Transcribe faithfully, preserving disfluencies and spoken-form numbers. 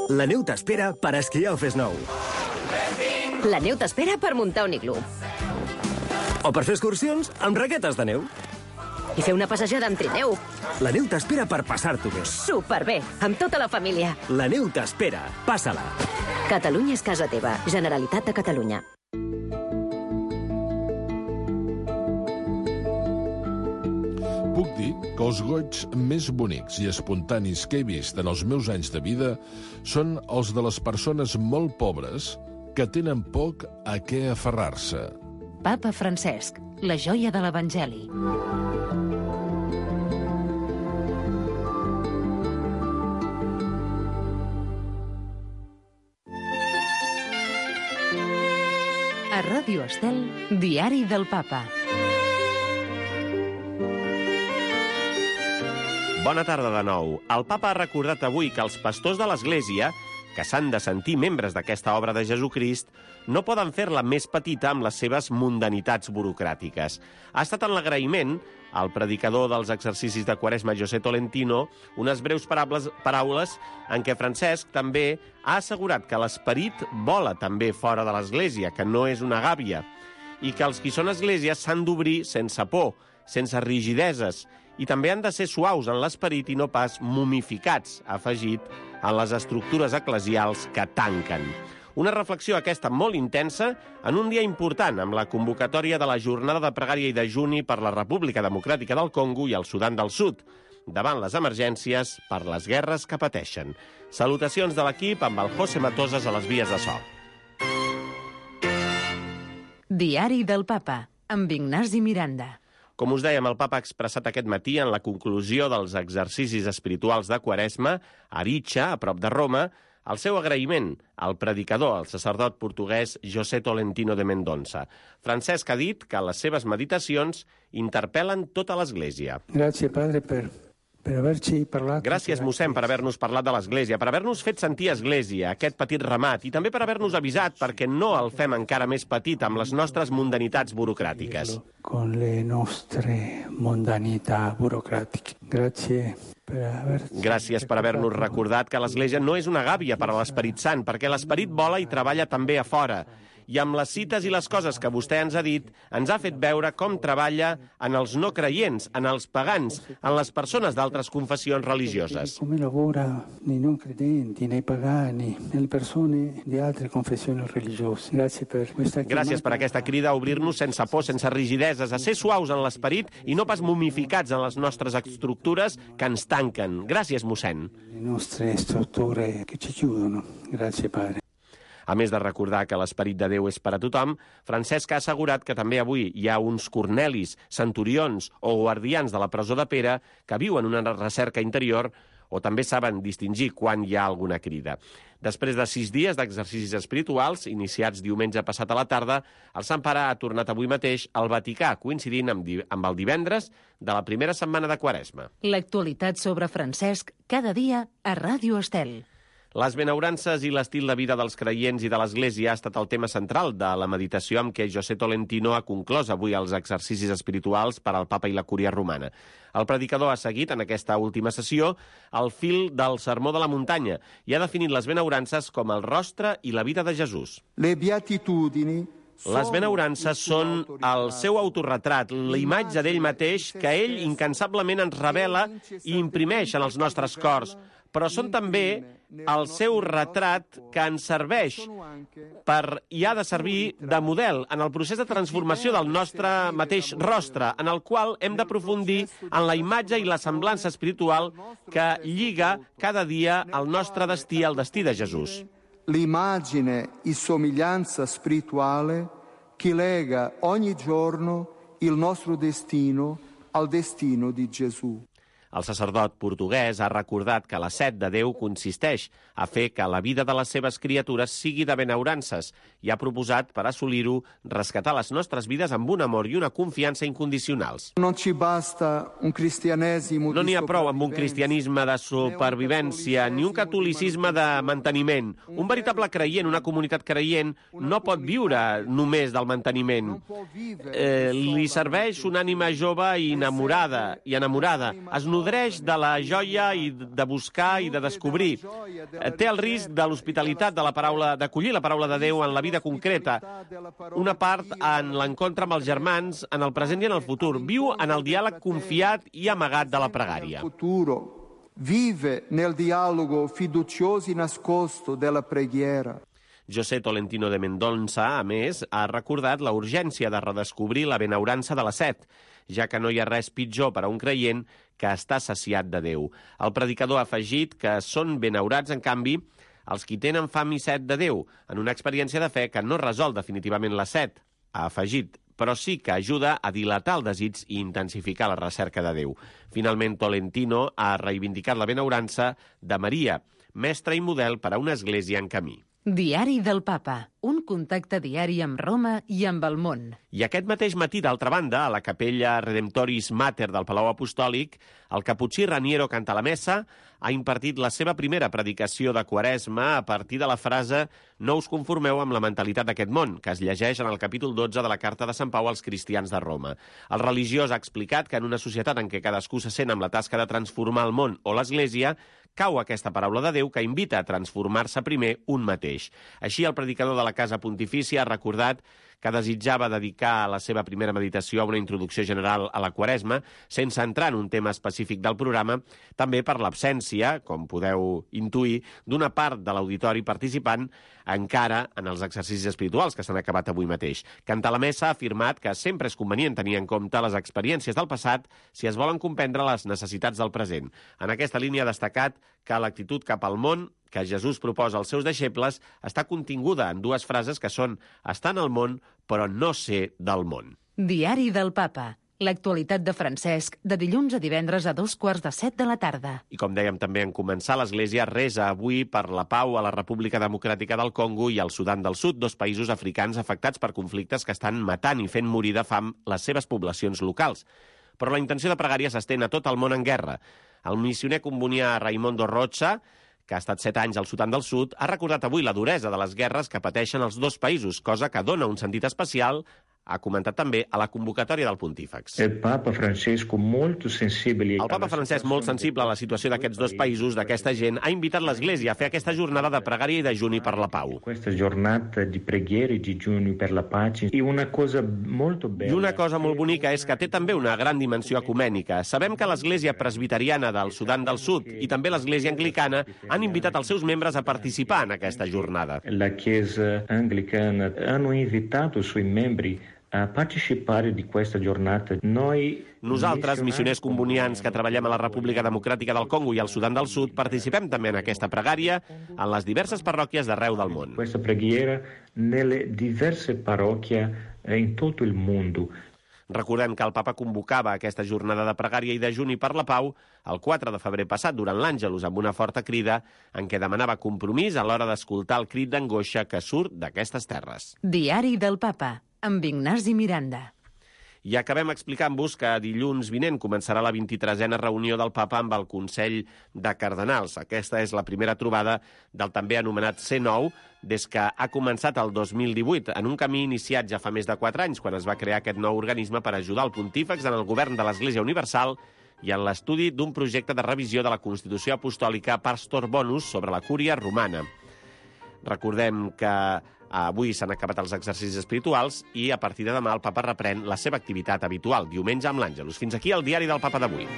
La neu t'espera per esquiar o fes nou. La neu t'espera per muntar un iglú. O per fer excursions amb raquetes de neu. I fer una passejada amb trineu. La neu t'espera per passar-t'ho bé. Superbé, amb tota la família. La neu t'espera. Passa-la. Catalunya és casa teva. Generalitat de Catalunya. Puc dir que els goigs més bonics i espontanis que he vist en els meus anys de vida són els de les persones molt pobres que tenen poc a què aferrar-se. Papa Francesc, la joia de l'Evangeli. A Ràdio Estel, Diari del Papa. Bona tarda de nou. El Papa ha recordat avui que els pastors de l'Església, que s'han de sentir membres d'aquesta obra de Jesucrist, no poden fer-la més petita amb les seves mundanitats burocràtiques. Ha estat en l'agraïment al predicador dels exercicis de Quaresma, José Tolentino, unes breus paraules, paraules en què Francesc també ha assegurat que l'esperit vola també fora de l'Església, que no és una gàbia, i que els qui són Església s'han d'obrir sense por, sense rigideses, i també han de ser suaus en l'esperit i no pas mumificats, ha afegit, en les estructures eclesials que tanquen. Una reflexió aquesta molt intensa en un dia important amb la convocatòria de la jornada de pregària i dejuni per la República Democràtica del Congo i el Sudan del Sud, davant les emergències per les guerres que pateixen. Salutacions de l'equip amb el José Matosas a les vies de so. Diari del Papa, amb Ignasi Miranda. Com us dèiem, el Papa ha expressat aquest matí en la conclusió dels exercicis espirituals de Quaresma, a Aricha, a prop de Roma, el seu agraïment al predicador, al sacerdot portuguès José Tolentino de Mendonça. Francesc ha dit que les seves meditacions interpel·len tota l'Església. Gràcies, padre, per... Gràcies, mossèn, per haver-nos parlat de l'Església, per haver-nos fet sentir Església, aquest petit ramat, i també per haver-nos avisat perquè no el fem encara més petit amb les nostres mundanitats burocràtiques. Con le nostre mundanità burocràtiche. Gràcies per haver... Gràcies per haver-nos recordat que l'Església no és una gàbia per a l'Esperit Sant, perquè l'Esperit vola i treballa també a fora. I amb les cites i les coses que vostè ens ha dit, ens ha fet veure com treballa en els no creients, en els pagans, en les persones d'altres confessions religioses. Com lavora nei non credenti, nei pagani, nelle persone di altre confessioni religiose. Gràcies per questa chiamata. Gràcies per aquesta crida a obrir-nos sense por, sense rigideses, a ser suaus en l'esperit i no pas mumificats en les nostres estructures que ens tanquen. Gràcies, mossèn. Le nostre strutture che ci chiudono. Gràcies, padre. A més de recordar que l'esperit de Déu és per a tothom, Francesc ha assegurat que també avui hi ha uns Cornelis, centurions o guardians de la presó de Pere que viuen una recerca interior o també saben distingir quan hi ha alguna crida. Després de sis dies d'exercicis espirituals, iniciats diumenge passat a la tarda, el Sant Pare ha tornat avui mateix al Vaticà, coincidint amb, amb el divendres de la primera setmana de Quaresma. L'actualitat sobre Francesc cada dia a Ràdio Estel. Les benaurances i l'estil de vida dels creients i de l'Església ha estat el tema central de la meditació amb què José Tolentino ha conclòs avui els exercicis espirituals per al Papa i la Cúria Romana. El predicador ha seguit en aquesta última sessió el fil del Sermó de la Muntanya i ha definit les benaurances com el rostre i la vida de Jesús. Le beatitudini Les benaurances són el seu autorretrat, la imatge d'ell mateix que ell incansablement ens revela i imprimeix en els nostres cors, però són també el seu retrat que ens serveix per, i ha de servir de model en el procés de transformació del nostre mateix rostre, en el qual hem d'aprofundir en la imatge i la semblança espiritual que lliga cada dia el nostre destí al destí de Jesús. L'immagine e somiglianza spirituale che lega ogni giorno il nostro destino al destino di Gesù. El sacerdot portuguès ha recordat que la set de Déu consisteix a fer que la vida de les seves criatures sigui de benaurances i ha proposat, per assolir-ho, rescatar les nostres vides amb un amor i una confiança incondicionals. Non ci basta un cristianesimo No n'hi ha prou amb un cristianisme de supervivència ni un catolicisme de manteniment. Un veritable creient, una comunitat creient, no pot viure només del manteniment. Eh, li serveix una ànima jove i enamorada, i enamorada. Es nodreix de la joia i de buscar i de descobrir. Té el risc de l'hospitalitat, de la paraula, d'acollir la paraula de Déu en la vida concreta. Una part en l'encontre amb els germans, en el present i en el futur. Viu en el diàleg confiat i amagat de la pregària. Vive nel dialogo fiducioso e nascosto della preghiera. José Tolentino de Mendonça, a més, ha recordat la urgència de redescobrir la benaurança de la set, ja que no hi ha res pitjor per a un creient que està saciat de Déu. El predicador ha afegit que són benaurats, en canvi, els qui tenen fam i set de Déu, en una experiència de fe que no resol definitivament la set, ha afegit, però sí que ajuda a dilatar el desig i intensificar la recerca de Déu. Finalment, Tolentino ha reivindicat la benaurança de Maria, mestre i model per a una església en camí. Diari del Papa, un contacte diari amb Roma i amb el món. I aquest mateix matí, d'altra banda, a la capella Redemptoris Mater del Palau Apostòlic, el caputxí Raniero Cantalamessa ha impartit la seva primera predicació de Quaresma a partir de la frase «No us conformeu amb la mentalitat d'aquest món», que es llegeix en el capítol dotze de la Carta de Sant Pau als cristians de Roma. El religiós ha explicat que en una societat en què cadascú se sent amb la tasca de transformar el món o l'Església, cau aquesta paraula de Déu que invita a transformar-se primer un mateix. Així, el predicador de la Casa Pontifícia ha recordat que desitjava dedicar la seva primera meditació a una introducció general a la Quaresma, sense entrar en un tema específic del programa, també per l'absència, com podeu intuir, d'una part de l'auditori participant encara en els exercicis espirituals que s'han acabat avui mateix. Cantalamessa ha afirmat que sempre és convenient tenir en compte les experiències del passat si es volen comprendre les necessitats del present. En aquesta línia ha destacat que l'actitud cap al món que Jesús proposa als seus deixebles està continguda en dues frases que són «estar en el món, però no ser del món». Diari del Papa. L'actualitat de Francesc, de dilluns a divendres a dos quarts de set de la tarda. I com dèiem també en començar, l'Església resa avui per la pau a la República Democràtica del Congo i al Sudan del Sud, dos països africans afectats per conflictes que estan matant i fent morir de fam les seves poblacions locals. Però la intenció de pregària s'estén a tot el món en guerra. El missioner combonià Raimondo Rocha, que ha estat set anys al Sudan del Sud, ha recordat avui la duresa de les guerres que pateixen els dos països, cosa que dona un sentit especial, ha comentat també a la convocatòria del Pontífex. El Papa Francesc, molt sensible... El Papa Francesc, molt sensible a la situació d'aquests dos països, d'aquesta gent, ha invitat l'Església a fer aquesta jornada de pregària i de juni per la pau. Questa giornata di preghiera e di giugno per la pace e una cosa molto bella. I una cosa molt bonica és que té també una gran dimensió ecumènica. Sabem que l'Església Presbiteriana del Sudan del Sud i també l'Església Anglicana han invitat els seus membres a participar en aquesta jornada. La Chiesa Anglicana hanno invitato i suoi membri a participare di questa giornata. Noi Nosaltres, missioners combonians que treballem a la República Democràtica del Congo i al Sudan del Sud, participem també en aquesta pregària en les diverses parròquies d'arreu del món. Questa preghiera nelle diverse parrocchie in tutto il mondo. Recordem que el papa convocava aquesta jornada de pregària i de juni per la pau el quatre de febrer passat durant l'Àngelus amb una forta crida en què demanava compromís a l'hora d'escoltar el crit d'angoixa que surt d'aquestes terres. Diari del Papa, amb Ignasi Miranda. I acabem explicant-vos que dilluns vinent començarà la vint-i-tresena reunió del Papa amb el Consell de Cardenals. Aquesta és la primera trobada del també anomenat C nou des que ha començat el dos mil divuit, en un camí iniciat ja fa més de quatre anys, quan es va crear aquest nou organisme per ajudar el pontífex en el govern de l'Església Universal i en l'estudi d'un projecte de revisió de la Constitució Apostòlica Pastor Bonus sobre la cúria romana. Recordem que avui s'han acabat els exercicis espirituals i a partir de demà el Papa reprèn la seva activitat habitual, diumenge amb l'Àngelus. Fins aquí el diari del Papa d'avui.